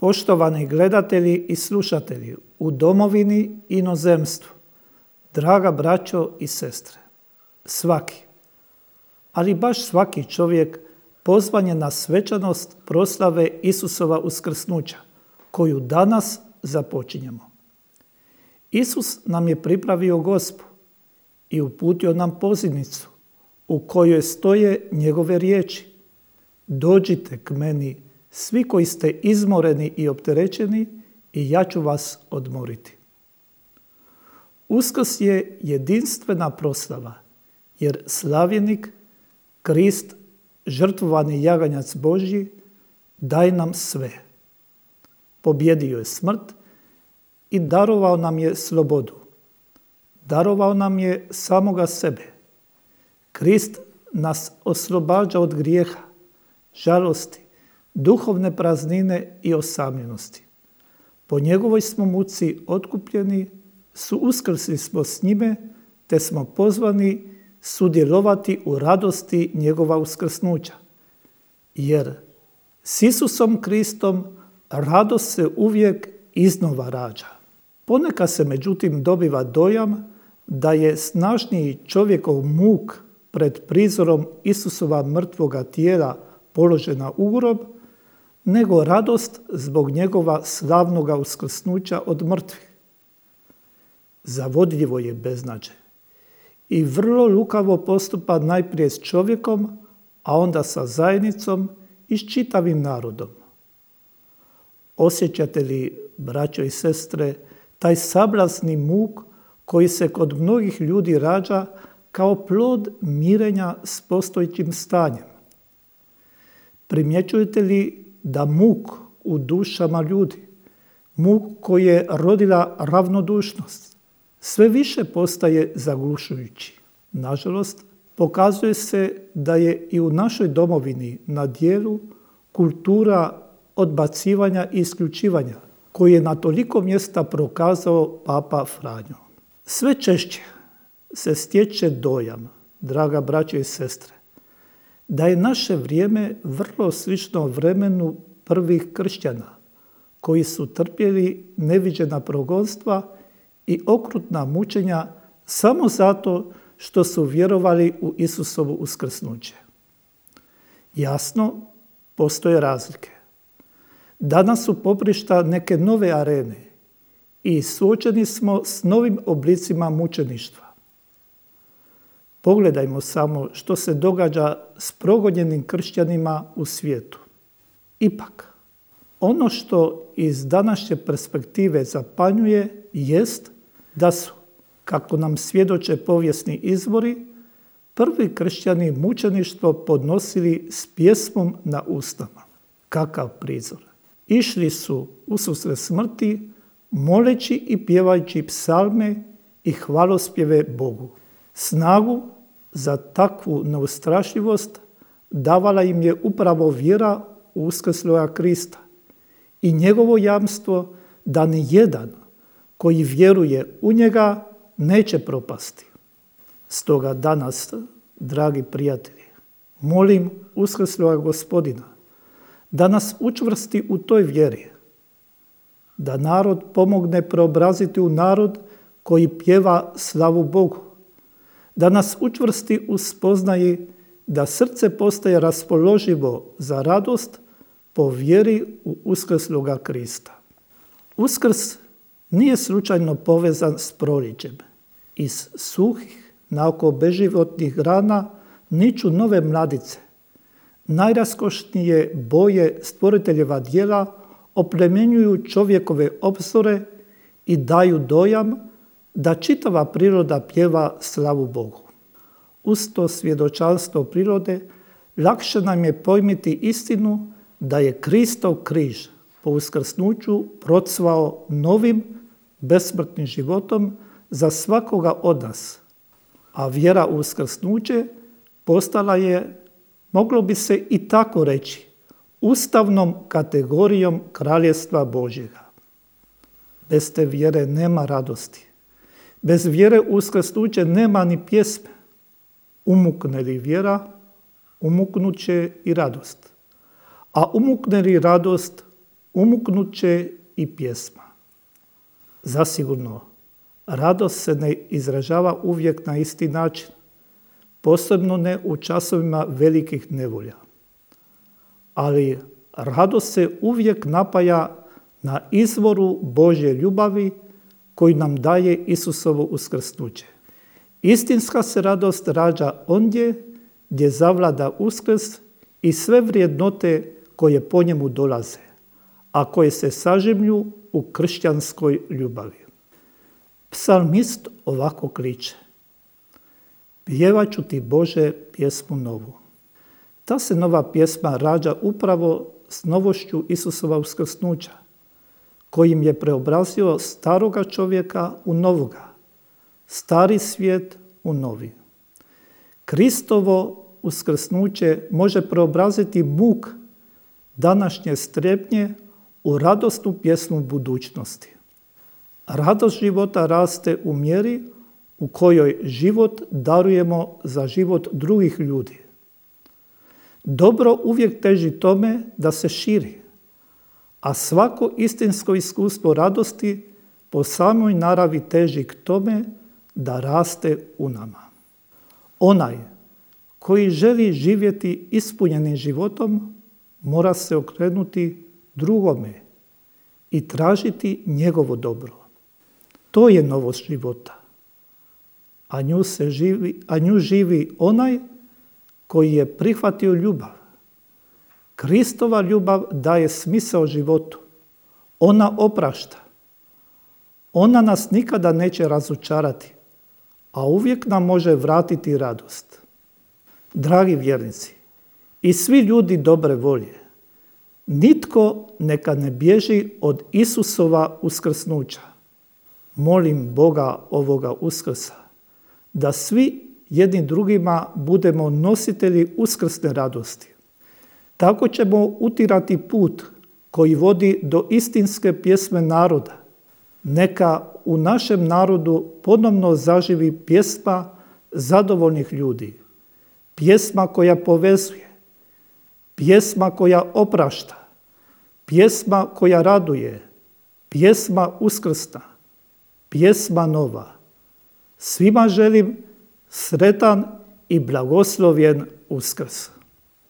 Poštovani gledatelji i slušatelji u domovini i inozemstvu, draga braćo i sestre, svaki, ali baš svaki čovjek pozvan je na svečanost proslave Isusova uskrsnuća, koju danas započinjemo. Isus nam je pripravio gospu i uputio nam pozivnicu u kojoj stoje njegove riječi: dođite k meni, svi koji ste izmoreni i opterećeni, i ja ću vas odmoriti. Uskrs je jedinstvena proslava, jer slavljenik, Krist, žrtvovani jaganjac Božji, daje nam sve. Pobjedio je smrt i darovao nam je slobodu. Darovao nam je samoga sebe. Krist nas oslobađa od grijeha, žalosti, duhovne praznine i osamljenosti. Po njegovoj smo muci otkupljeni, uskrsli smo s njime, te smo pozvani sudjelovati u radosti njegova uskrsnuća. Jer s Isusom Kristom radost se uvijek iznova rađa. Ponekad se međutim dobiva dojam da je snažniji čovjekov muk pred prizorom Isusova mrtvoga tijela položena u grob, nego radost zbog njegova slavnoga uskrsnuća od mrtvih. Zavodljivo je beznađe i vrlo lukavo postupa najprije s čovjekom, a onda sa zajednicom i s čitavim narodom. Osjećate li, braćo i sestre, taj sablasni muk koji se kod mnogih ljudi rađa kao plod mirenja s postojećim stanjem? Primjećujete li da muk u dušama ljudi, muk koji je rodila ravnodušnost, sve više postaje zaglušujući? Nažalost, pokazuje se da je i u našoj domovini na djelu kultura odbacivanja i isključivanja, koji je na toliko mjesta prokazao Papa Franjo. Sve češće se stječe dojam, draga braćo i sestre, da je naše vrijeme vrlo slično vremenu prvih kršćana, koji su trpjeli neviđena progonstva i okrutna mučenja samo zato što su vjerovali u Isusovo uskrsnuće. Jasno, postoje razlike. Danas su poprišta neke nove arene i suočeni smo s novim oblicima mučeništva. Pogledajmo samo što se događa s progonjenim kršćanima u svijetu. Ipak, ono što iz današnje perspektive zapanjuje jest da su, kako nam svjedoče povijesni izvori, prvi kršćani mučeništvo podnosili s pjesmom na usnama. Kakav prizor! Išli su ususret smrti, moleći i pjevajući psalme i hvalospjeve Bogu. Snagu za takvu neustrašljivost davala im je upravo vjera u uskrsloga Krista i njegovo jamstvo da ni jedan koji vjeruje u njega neće propasti. Stoga danas, dragi prijatelji, molim uskrsloga Gospodina da nas učvrsti u toj vjeri, da narod pomogne preobraziti u narod koji pjeva slavu Bogu, da nas učvrsti u spoznaji da srce postaje raspoloživo za radost po vjeri u uskrsloga Krista. Uskrs nije slučajno povezan s proljećem. Iz suhih, naoko beživotnih grana niču nove mladice. Najraskošnije boje stvoriteljeva djela oplemenjuju čovjekove obzore i daju dojam da čitava priroda pjeva slavu Bogu. Uz to svjedočanstvo prirode lakše nam je pojmiti istinu da je Kristov križ po uskrsnuću procvao novim, besmrtnim životom za svakoga od nas, a vjera u uskrsnuće postala je, moglo bi se i tako reći, ustavnom kategorijom Kraljevstva Božjega. Bez te vjere nema radosti. Bez vjere u uskrsnuće nema ni pjesme. Umukne li vjera, umuknut će i radost. A umukne li radost, umuknut će i pjesma. Zasigurno, radost se ne izražava uvijek na isti način, posebno ne u časovima velikih nevolja. Ali radost se uvijek napaja na izvoru Božje ljubavi koju nam daje Isusovo uskrsnuće. Istinska se radost rađa ondje gdje zavlada uskrs i sve vrijednote koje po njemu dolaze, a koje se sažimlju u kršćanskoj ljubavi. Psalmist ovako kliče: pjevat ću ti, Bože, pjesmu novu. Ta se nova pjesma rađa upravo s novošću Isusova uskrsnuća, kojim je preobrazio staroga čovjeka u novoga, stari svijet u novi. Kristovo uskrsnuće može preobraziti muk današnje strepnje u radosnu pjesmu budućnosti. Radost života raste u mjeri u kojoj život darujemo za život drugih ljudi. Dobro uvijek teži tome da se širi, a svako istinsko iskustvo radosti po samoj naravi teži k tome da raste u nama. Onaj koji želi živjeti ispunjenim životom mora se okrenuti drugome i tražiti njegovo dobro. To je novost života, a nju živi onaj koji je prihvatio ljubav. Kristova ljubav daje smisao životu. Ona oprašta. Ona nas nikada neće razočarati, a uvijek nam može vratiti radost. Dragi vjernici, i svi ljudi dobre volje, nitko neka ne bježi od Isusova uskrsnuća. Molim Boga ovoga Uskrsa da svi jedni drugima budemo nositelji uskrsne radosti. Tako ćemo utirati put koji vodi do istinske pjesme naroda. Neka u našem narodu ponovno zaživi pjesma zadovoljnih ljudi, pjesma koja povezuje, pjesma koja oprašta, pjesma koja raduje, pjesma uskrsna, pjesma nova. Svima želim sretan i blagoslovljen Uskrs.